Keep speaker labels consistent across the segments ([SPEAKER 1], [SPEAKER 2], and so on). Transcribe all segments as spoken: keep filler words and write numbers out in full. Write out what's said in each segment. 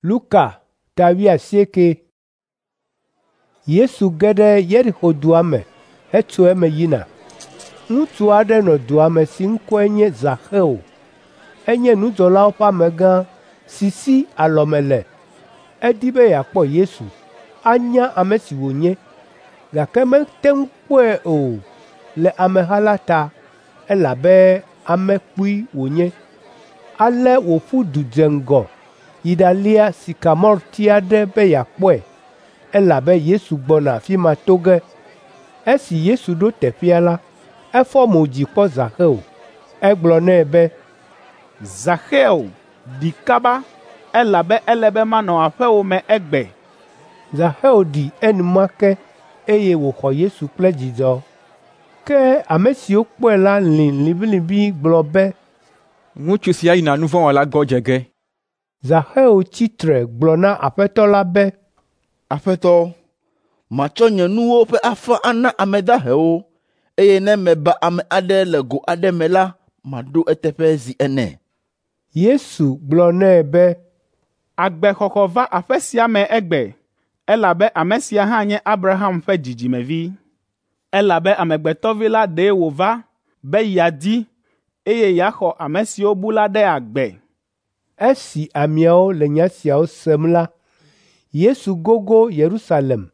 [SPEAKER 1] Luka ta wuiasieke. Yesu ge ɖe Yeriko dua me hetso eme yina. Ŋutsu aɖe nɔ dua me si ŋkɔe nye Zaxeo. Enye nudzɔlawo ƒe amegã si si alɔme le. Edi be yeakpɔ Yesu, anya ame si wònye, gake mete ŋu kpɔe o le ameha la ta, elabe ame kpui wònye. Ale wòƒu du dze ŋgɔ yi ɖalia sikamorti aɖe be yeakpɔe, elabe Yesu gbɔna afi ma to ge. Esi Yesu ɖo teƒea la, efɔ mo dzi kpɔ Zaxeo. Egblɔ nɛ be,
[SPEAKER 2] Zaxeo, ɖi kaba, elabe ele be manɔ aƒewò me egbe.
[SPEAKER 1] Zaxeo ɖi enumake eye wòxɔ Yesu kple dzidzɔ. Ke ame siwo kpɔe la lĩ liʋĩliʋĩ gblɔ be,
[SPEAKER 3] Ŋutsu sia yina nu vɔ̃ wɔla gbɔ dze ge.
[SPEAKER 1] Zaxeo tsi tre gblɔ na Aƒetɔ la be,
[SPEAKER 4] Aƒetɔ, matsɔ nye nuwo ƒe afã ana ame dahewo, eye ne meba ame aɖe le go aɖe me la, maɖo eteƒe zi ene.
[SPEAKER 1] Yesu gblɔ nɛ be,
[SPEAKER 2] Agbexɔxɔ va aƒe sia me egbe, elabe ame sia hã nye Abraham ƒe dzidzimevi. Elabe Amegbetɔ Vi la ɖe wòva be yeadi, eye yeaxɔ ame siwo bu la ɖe agbe.
[SPEAKER 1] Esi ameawo le nya siawo sem la, Yesu gogo Yerusalem,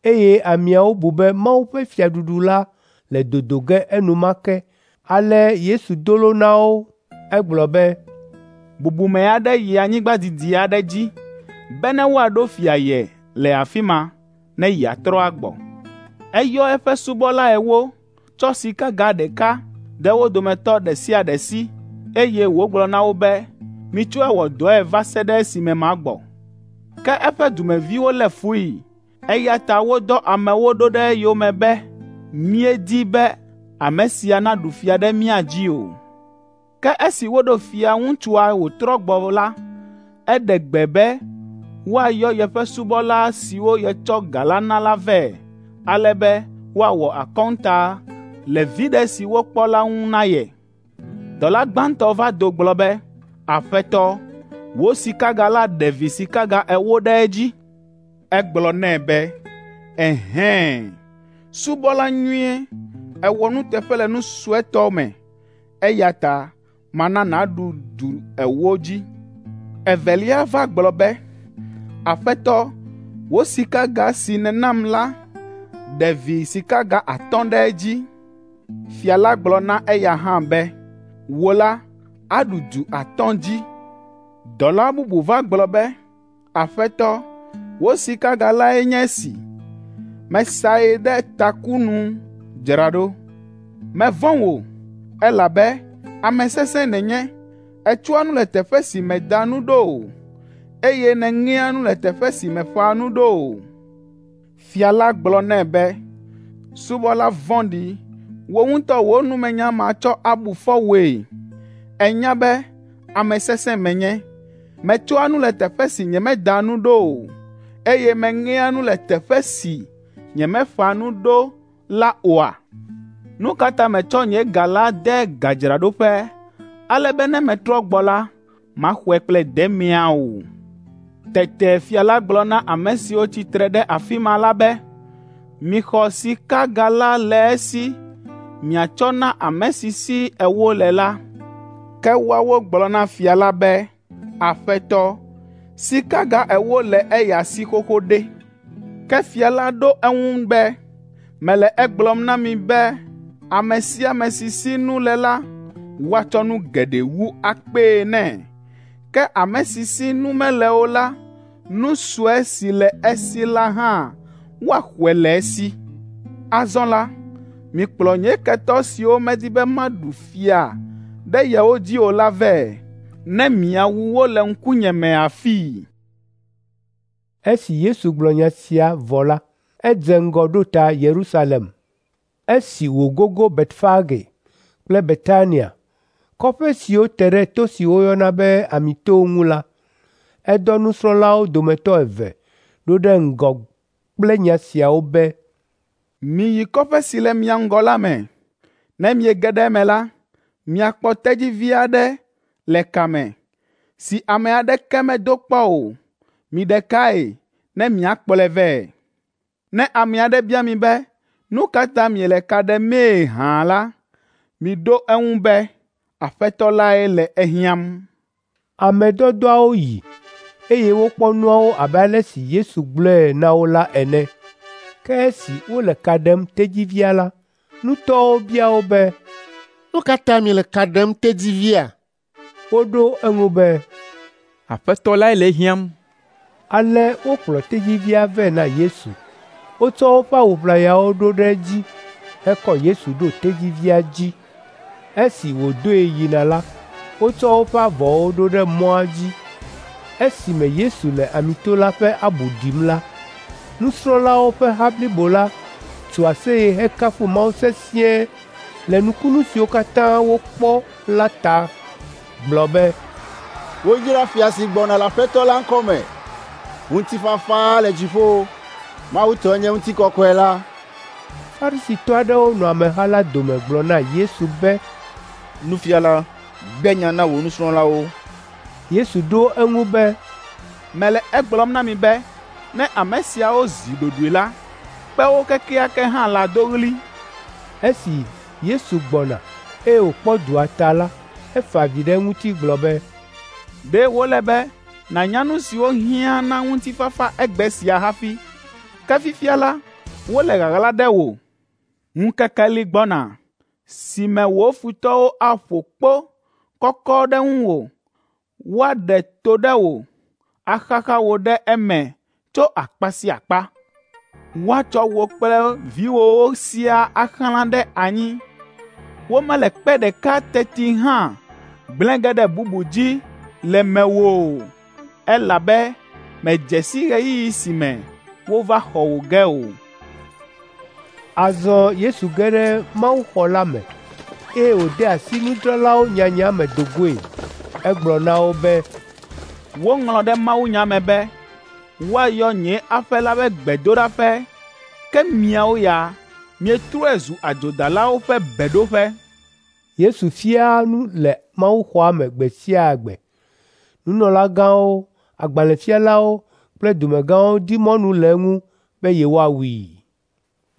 [SPEAKER 1] eye ameawo bu be Mawu ƒe fiaɖuɖu la le dodo ge enumake. Ale Yesu do lo na wo. Egblɔ be,
[SPEAKER 2] Bubume aɖe yi anyigba didi aɖe dzi bene woaɖo fia ye le afi ma ne yeatrɔ agbɔ. Eyɔ eƒe subɔla ewo, tsɔ sikaga ɖeka de wo dometɔ ɖe sia ɖe si, eye wògblɔ na wo be, ‘Mitsɔe wɔ dɔe va se ɖe esime magbɔ.’ Ke eƒe dumeviwo lé fui, eya ta wodɔ amewo ɖo ɖe eyome be, ‘Míedi be ame sia naɖu fia ɖe mía dzi o.’ Ke esi woɖo fia ŋutsua wòtrɔ gbɔ la, eɖe gbe be woayɔ yeƒe subɔla siwo yetsɔ ga la na la vɛ, ale be woawɔ akɔnta le viɖe si wokpɔ la ŋu na ye. Dɔla gbãtɔ va do gblɔ be, ‘Aƒetɔ, wò sikaga la ɖe vi sikaga ewo ɖe edzi.’ Egblɔ nɛ be, ‘Ɛhɛ̃, subɔla nyui, èwɔ nuteƒe le nu suetɔ me, eya ta mana nàɖu du ewo dzi.’ Evelia va gblɔ be, ‘Aƒetɔ, wò sikaga si nènam la ɖe vi sikaga atɔ̃ ɖe edzi.’ Fia la gblɔ na eya hã be, ‘Wò la, aɖu du atɔ̃ dzi.’ Dɔla bubu va gblɔ be, ‘Aƒetɔ, wò sikaga lae nye esi. Mesae ɖe taku nu dzra ɖo. Mevɔ̃ wò, elabe ame sesẽ nènye. Ètsɔa nu le teƒe si mèda nu ɖo o, eye nèŋea nu le teƒe si mèƒã nu ɖo o.’ Fia la gblɔ nɛ be, ‘Subɔla vɔ̃ɖi, wò ŋutɔ wò numenya matsɔ abu fɔ wòe. Ènya be ame sesẽ menye. Metsɔa nu le teƒe si nyemeda nu ɖo o, eye meŋea nu le teƒe si nyemeƒã nu ɖo la oa? Nu ka ta mètsɔ nye ga la de gadzraɖoƒe, ale be ne metrɔ gbɔ la, maxɔe kple demea o?’ Tete fia la gblɔ na ame siwo tsi tre ɖe afi ma la be, ‘Mixɔ sikaga la le esi miatsɔ na ame si si ewo le la.’ Ke woawo gblɔ na fia la be, ‘Aƒetɔ, sikaga ewo le eya si xoxo ɖe!’ Ke fia la ɖo eŋu be, ‘Mele egblɔm na mi be ame sia ame si si nu le la, woatsɔ nu geɖe wu akpee nɛ. Ke ame si si nu mele o la, nu sue si le esi la hã woaxɔe le esi. Azɔ la, mikplɔ nye ketɔ siwo medi be maɖu fia ɖe yewo dzi o la vɛ, ne miawu wo le ŋkunye me afii.’
[SPEAKER 1] Esi Yesu gblɔ nya sia vɔ la, edze ŋgɔ ɖo ta Yerusalem. Esi wògogo Betfage kple Betania, kɔƒe siwo te ɖe to si woyɔna be Amitowo ŋu la, edɔ nusrɔ̃lawo dometɔ eve ɖo ɖe ŋgɔ kple nya siawo be,
[SPEAKER 2] Miyi kɔƒe si le mia ŋgɔ la me. Ne miege ɖe eme la, miakpɔ tedzivi aɖe le ka me, si ame aɖeke medo kpɔ o. Miɖe kae ne miakplɔe vɛ. Ne ame aɖe bia mi be, ‘Nu ka ta miele ka ɖemee hã la,’ miɖo eŋu be, ‘Aƒetɔ lae le ehiãm.’ ”
[SPEAKER 1] Ame dɔdɔawo yi, eye wokpɔ nuawo abe ale si Yesu gblɔe na wo la ene. Ke esi wole ka ɖem tedzivia la, nutɔwo bia wo be,
[SPEAKER 5] “Nu ka ta miele ka ɖem tedzivia?”
[SPEAKER 1] Woɖo eŋu be,
[SPEAKER 3] “Aƒetɔ lae le ehiãm.”
[SPEAKER 1] Ale wokplɔ tedzivia vɛ na Yesu. Wotsɔ woƒe awu ʋlayawo ɖo ɖe edzi hekɔ Yesu ɖo tedzivia dzi. Esi wòdoe yina la, wotsɔ woƒe avɔwo ɖo ɖe mɔa dzi. Esime Yesu le Amito la ƒe abu ɖim la, nusrɔ̃lawo ƒe ha blibo la tso aseye hekafu Mawu sesĩe le nukunu siwo katã wokpɔ la ta gblɔ be,
[SPEAKER 6] “Woyra fia si gbɔna le Aƒetɔ la ŋkɔ me. Ŋutifafa le dziƒo, Mawu tɔe nye ŋutikɔkɔe la.”
[SPEAKER 1] Farisitɔ aɖewo nɔ ameha la dome gblɔ na Yesu be,
[SPEAKER 4] “Nufiala, gbe nya na wò nusrɔ̃lawo.”
[SPEAKER 1] Yesu ɖo eŋu be,
[SPEAKER 2] “Mele egblɔm na mi be ne ame siawo zi ɖoɖoe la, kpewo kekeake hã lado ɣli.”
[SPEAKER 1] Esi Yesu gbɔna, eye wòkpɔ dua ta la, efa avi ɖe eŋuti gblɔ be,
[SPEAKER 2] “Ɖe wòle be nànya nu siwo hiã na ŋutifafa egbe sia hafi, ke fifia la, wole ɣaɣla ɖe wò. Ŋkeke li gbɔna si me wò futɔwo aƒo kpo kɔkɔ ɖe ŋuwò, woaɖe to ɖe wò, axaxa wò ɖe eme tso akpa sia akpa. Woatsɔ wò kple viwòwo siaa axlã ɖe anyi. Womele kpe ɖeka teti hã gblẽ ge ɖe bubu dzi le mewò o, elabe mèdze si ɣeyiɣi si me wova xɔ wò ge o.”
[SPEAKER 1] Azɔ Yesu ge ɖe mawuxɔ la me, eye wòde asi nudzralawo nyanya me do goe. Egblɔ na wo be,
[SPEAKER 2] Woŋlɔ ɖe mawunya me be, ‘Woayɔ nye aƒe la be gbedoɖaƒe,’ ke miawo ya mietrɔe zu adzodalawo ƒe beɖoƒe.”
[SPEAKER 1] Yesu fiaa nu le mawuxɔa me gbe sia gbe. Nunɔlagãwo, agbalẽfialawo kple dumegãwo di mɔnu le eŋu be yewoawui.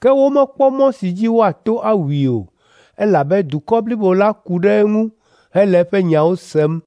[SPEAKER 1] Ke womekpɔ mɔ si dzi woato awui o, elabe dukɔ blibo la ku ɖe eŋu hele eƒe nyawo sem.